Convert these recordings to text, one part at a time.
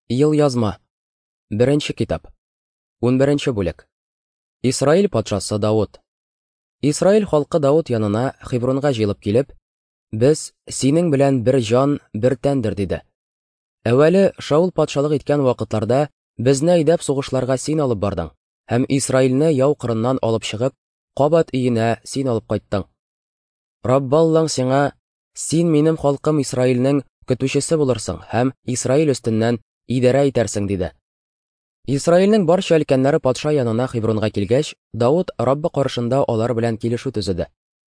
Елъязма. Беренче китап. 11 бүлек. Исраил патшасы Давыт. Исраил халкы Давыт янына Хебронга җыелып килеп, "Без синең белән бер җан, бер тәндер", диде. Әүвәле Шаул патшалык иткән вакытларда безне әйдәп сугышларга син алып бардың һәм Исраилне яу кырыннан алып чыгып, кабат өенә син алып кайттың. Раббы Аллаң сиңа, "Син минем халкым Исраилнең көтүчесе булырсың һәм Исраил өстеннән идарә итәрсең", диде. Исраилнең барча өлкәннәре патша янына Хебронга килгәч, Давыт Раббы каршында алар белән килешү төзеде.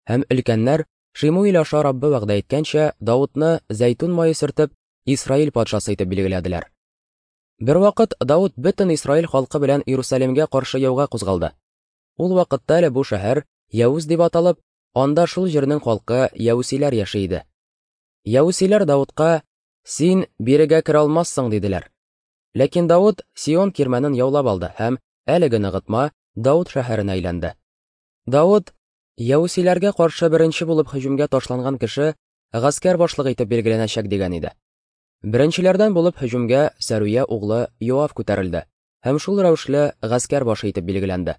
Һәм өлкәннәр Шимуил аша Раббы вәгъдә иткәнчә, Давытны зәйтүн мае сөртеп, Исраил патшасы итеп билгеләделәр. Бервакыт Давыт бөтен Исраил халкы белән Иерусалимгә каршы яуга кузгалды. Ул вакытта әле бу шәһәр Яүз дип аталып, анда шул җирнең халкы яүсиләр яши иде. Яүсиләр Давытка: "Син бирегә керә алмассың", диделәр. Ләкин Давыт Сион кирмәнен яулап алды һәм әлеге ныгытма Давыт шәһәренә әйләнде. Давыт яүсиләргә каршы беренче булып һөҗүмгә ташланган кеше гаскәр башлыгы итеп билгеләнәчәк дигән иде. Беренчеләрдән булып һөҗүмгә Сәрүя углы Йоав күтәрелде һәм шул рәвешле гаскәр башы итеп билгеләнде.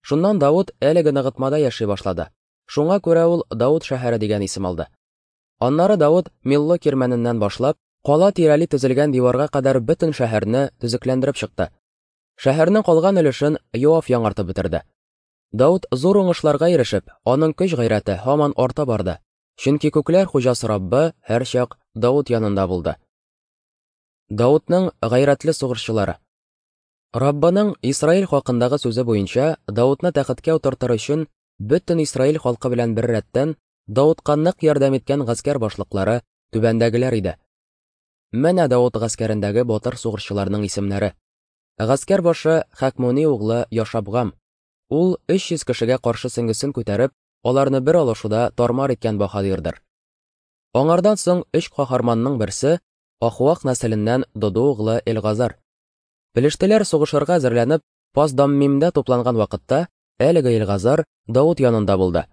Шуннан Давыт әлеге ныгытмада яши башлады. Шуңа күрә ул Давыт шәһәре дигән исем алды. Аннары Давыт Милло кирмәненнән башлап, кала тирәли төзелгән диварга кадәр бөтен шәһәрне төзекләндереп чыкты. Шәһәрнең калган өлешен Йоав яңартып бетерде. Давыт зур уңышларга ирешеп, аның көч-гайрәте һаман арта барды. Чөнки күкләр хуҗасы Раббы һәрчак Давыт янында булды. Давытның гайрәтле сугышчылары. Раббының Исраил хакындагы сүзе буенча Давытны тәхеткә утыртыр өчен бөтен Исраил халкы белән беррәттән Давытка нык ярдәм иткән гаскәр башлыклары түбәндәгеләр иде. Менә Давыт гаскәрендәге батыр сугышчыларның исемнәре. Гаскәр башы Хакмуни углы Яшабгам. Ул 300 кешегә каршы сөңгесен күтәреп, аларны бер алышуда тармар иткән баһадирдыр. Аңардан соң өч каһарманның берсе Ахуах нәселеннән Додо углы Элгазар. Пелештеләр сугышырга әзерләнеп, Пасдаммимдә тупланган вакытта, әлеге Элгазар Давыт янында булды.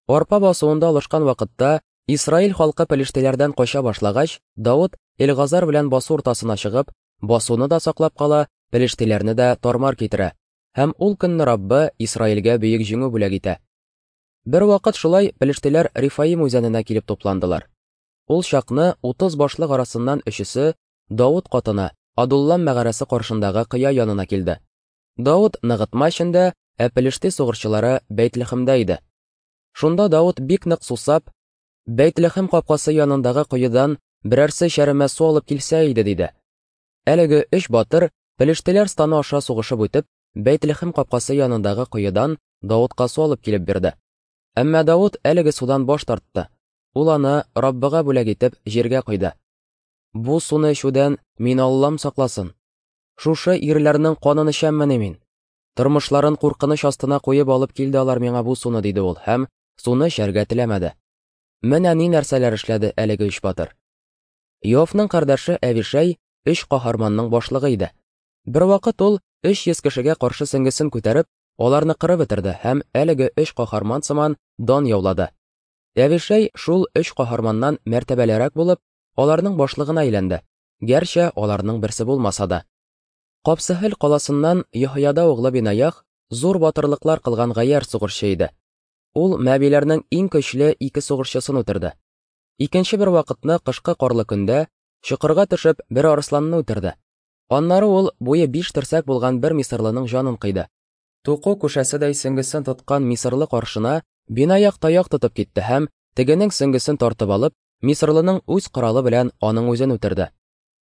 Арпа басуында алышкан вакытта Исраил халкы пелештеләрдән кача башлагач, Давыт Элгазар белән басу уртасына чыгып, басуны да саклап кала, пелештеләрне дә тармар китерә. Һәм ул көнне Раббы Исраилгә бөек җиңү бүләк итә. Бервакыт шулай пелештеләр Рифаим үзәненә килеп тупландылар. Ул чакны 30 башлык арасыннан өчесе Давыт катына Адуллам мәгарәсе каршындагы кыя янына килде. Давыт ныгытма эчендә, ә пелеште сугышчылары Бәйтлехемдә иде. Шунда Давыт бик нык сусап, Бәйтлехем капкасы янындагы коедан берәрсе чәремә су алып килсә иде, диде. Әлеге өч батыр пелештеләр станы аша сугышып үтеп, Бәйтлехем капкасы янындагы коедан Давытка су алып килеп бирде. Әмма Давыт әлеге судан баш тартты. Ул аны Раббыга бүләк итеп җиргә койды. Бу суны эчүдән мин Аллам сакласын. Шушы ирләрнең канын эчәммени мин? Тормышларын куркыныч астына куеп алып килде алар миңа бу суны, диде ул һәм суны эчәргә теләмәде. Менә ни нәрсәләр эшләде әлеге өч батыр. Йоавның кардәше Әвишәй өч каһарманның башлыгы иде. Бервакыт ул 300 кешегә каршы сөңгесен күтәреп, аларны кырып бетерде һәм әлеге өч каһарман сыман дан яулады. Әвишәй шул өч каһарманнан мәртәбәлерәк булып, аларның башлыгына әйләнде, гәрчә аларның берсе булмаса да. Капсыһел каласыннан Йоһояда углы Бинаях зур батырлыклар кылган гаярь сугышчы иде. Ул мәбиләрнең иң көчле ике сугышчысын үтерде. Икенче бер вакытны кышкы карлы көндә чокырга төшеп бер арысланны үтерде. Аннары ул буе 5 терсәк булган бер мисырлының җанын кыйды. Туку күшәседәй сөңгесен тоткан мисырлы каршына Бинаяк таяк тотып китте һәм тегенең сөңгесен тартып алып, мисырлының үз коралы белән аның үзен үтерде.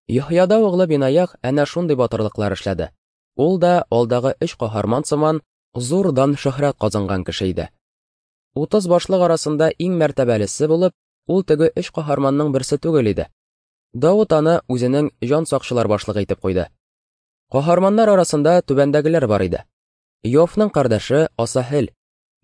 Йоһояда углы Бинаяк әнә шундый батырлыклар эшләде. Ул да алдагы өч каһарман сыман зур дан шөһрәт казанган кеше иде. 30 башлык арасында иң мәртәбәлесе булып, ул теге өч каһарманның берсе түгел иде. Давыт аны үзенең җан сакчылар башлыгы итеп куйды. Каһарманнар арасында түбәндәгеләр бар иде. Йоавның кардәше Асаһел,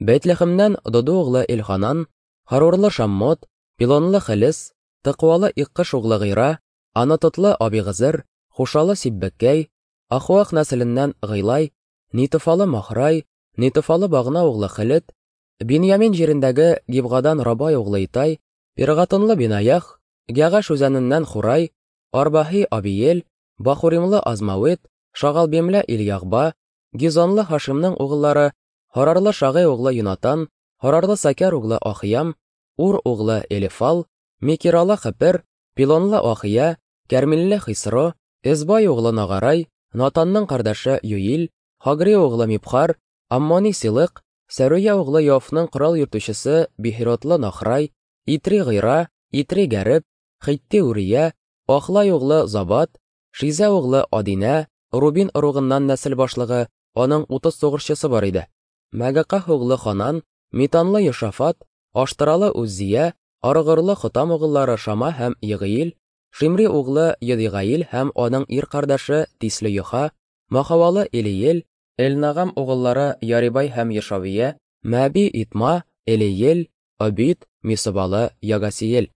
Бәйтлехемнән Додо углы Элханан, Харурлы Шаммот, Пилонлы Хелес, Тыкуалы Иккыш углы Гыйра, Анатотлы Абигызыр, Хушалы Сиббеккәй, Ахуах нәселеннән Гыйлай, Нитофалы Махрай, Нитофалы Багна углы Хелет, Биньямин җирендәге Гибгадан Рабай углы Итай, Пиргатонлы Бинаях, Гәгаш үзәненнән Хурай, Арбаһи Абиел, Бахуримлы Азмавет, Шагалбимле Ильягба, Гизонлы Һашимның угыллары, Һарарлы Шагый углы Юнатан, Һарарлы Сакяр углы Ахиям, Ур углы Элифал, Микиралы Хепер, Пилонлы Ахия, Кәрмилле Хисро, Эзбай углы Нагарай, Натанның кардәше Юил, Хагри углы Мибхар, Аммони Силык, Сәруя углы Йофның корал йөртүчесе Бихиротлы Нахрай, Итри Гыйра, Итри Гәреб, Хитти Урия, Ахлай углы Забат, Шизә углы Адинә, Рубин ыругыннан нәсел башлыгы, аның 30 сугышчысы бар иде. Мәгаках углы Ханан, Митанлы Йошафат, Аштыралы Уззия, Аргырлы Хотам угыллары Шама һәм Егыил, Шимри углы Едигаил һәм аның ир кардәше Тисле Йоха, Махавалы Элиел, Элнагам угыллары Ярибай һәм Ешавия, Мәби Итма, Элиел, Обид, Мисыбалы Ягасиел.